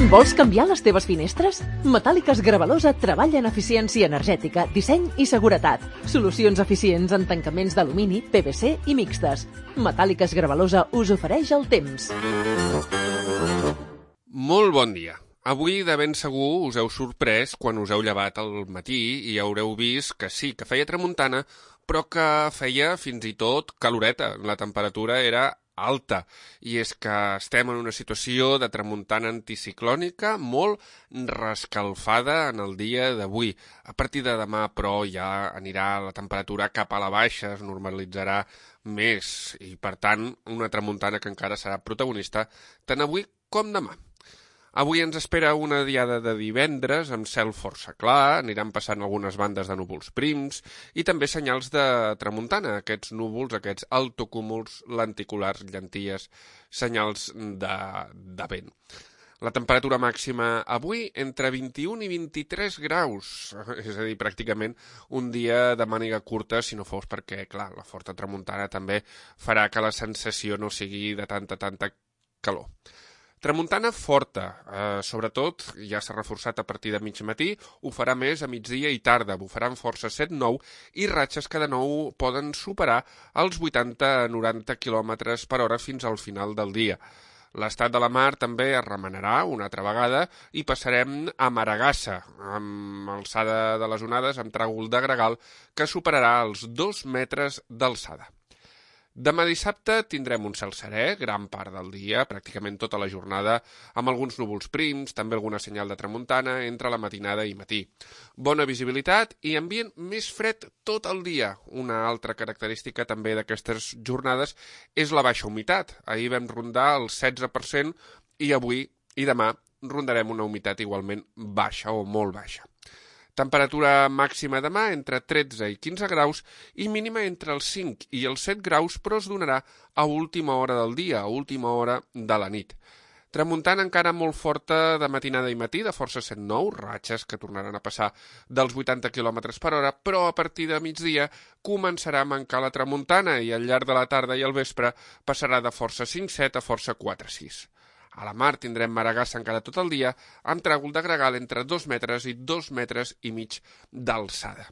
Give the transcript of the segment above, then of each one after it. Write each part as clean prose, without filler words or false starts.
Vols canviar les teves finestres? Metàl·liques Gravalosa treballa en eficiència energètica, disseny i seguretat. Solucions eficients en tancaments d'alumini, PVC i mixtes. Metàl·liques Gravalosa us ofereix el temps. Molt bon dia. Avui de ben segur us heu sorprès quan us heu llevat al matí i haureu vist que sí, que feia tramuntana, però que feia fins i tot caloreta. La temperatura era alta, i és que estem en una situació de tramuntana anticiclònica molt rescalfada en el dia d'avui. A partir de demà, però, ja anirà la temperatura cap a la baixa, es normalitzarà més, i per tant una tramuntana que encara serà protagonista tant avui com demà. Avui ens espera una diada de divendres amb cel força clar, aniran passant algunes bandes de núvols prims i també senyals de tramuntana, aquests núvols, aquests altocúmuls lenticulars, llenties, senyals de vent. La temperatura màxima avui entre 21 i 23 graus, és a dir, pràcticament un dia de màniga curta, si no fos perquè, clar, la forta tramuntana també farà que la sensació no sigui de tanta calor. Tramuntana forta, sobretot ja s'ha reforçat a partir de mig matí, ho farà més a migdia i tarda, bufaran força 7-9 i ratxes que de nou poden superar els 80-90 km per hora fins al final del dia. L'estat de la mar també es remenarà una altra vegada i passarem a Maragassa, amb alçada de les onades amb tràgol de gregal que superarà els 2 metres d'alçada. Demà dissabte tindrem un cel serè, gran part del dia, pràcticament tota la jornada, amb alguns núvols prims, també alguna senyal de tramuntana entre la matinada i matí. Bona visibilitat i ambient més fred tot el dia. Una altra característica també d'aquestes jornades és la baixa humitat. Ahir vam rondar el 16% i avui i demà rondarem una humitat igualment baixa o molt baixa. Temperatura màxima demà entre 13 i 15 graus i mínima entre els 5 i els 7 graus, però es donarà a última hora del dia, a última hora de la nit. Tramuntana encara molt forta de matinada i matí, de força 7-9, ratxes que tornaran a passar dels 80 km per hora, però a partir de migdia començarà a mancar la tramuntana i al llarg de la tarda i al vespre passarà de força 5-7 a força 4-6. A la mar tindrem Maragassa encara tot el dia, amb tràgol de gregal entre 2 metres i 2 metres i mig d'alçada.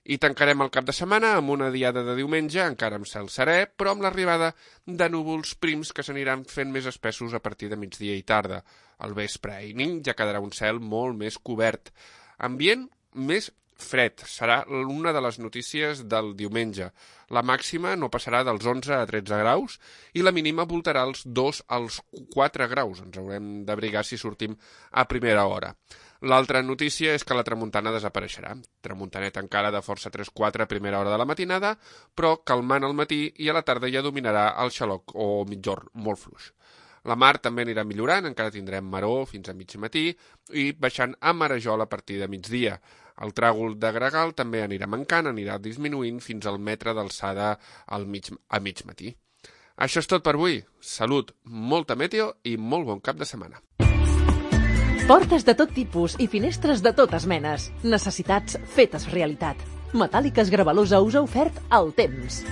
I tancarem el cap de setmana amb una diada de diumenge, encara amb cel serè, però amb l'arribada de núvols prims que s'aniran fent més espessos a partir de migdia i tarda. Al vespre i nit ja quedarà un cel molt més cobert. Ambient més fred, serà una de les notícies del diumenge. La màxima no passarà dels 11 a 13 graus i la mínima voltarà els 2 als 4 graus. Ens haurem d'abrigar si sortim a primera hora. L'altra notícia és que la tramuntana desapareixerà. Tramuntaneta encara de força 3-4 a primera hora de la matinada, però calmant al matí i a la tarda ja dominarà el xaloc o migjorn molt fluix. La mar també anirà millorant, encara tindrem maror fins a mig matí i baixant a marejol a partir de migdia. El tràgol de gregal també anirà mancant, anirà disminuint fins al metre d'alçada a mig matí. Això és tot per avui. Salut, molta meteo i molt bon cap de setmana. Portes de tot tipus i finestres de totes menes. Necessitats fetes realitat. Metàl·liques Gravalosa us ha ofert el temps.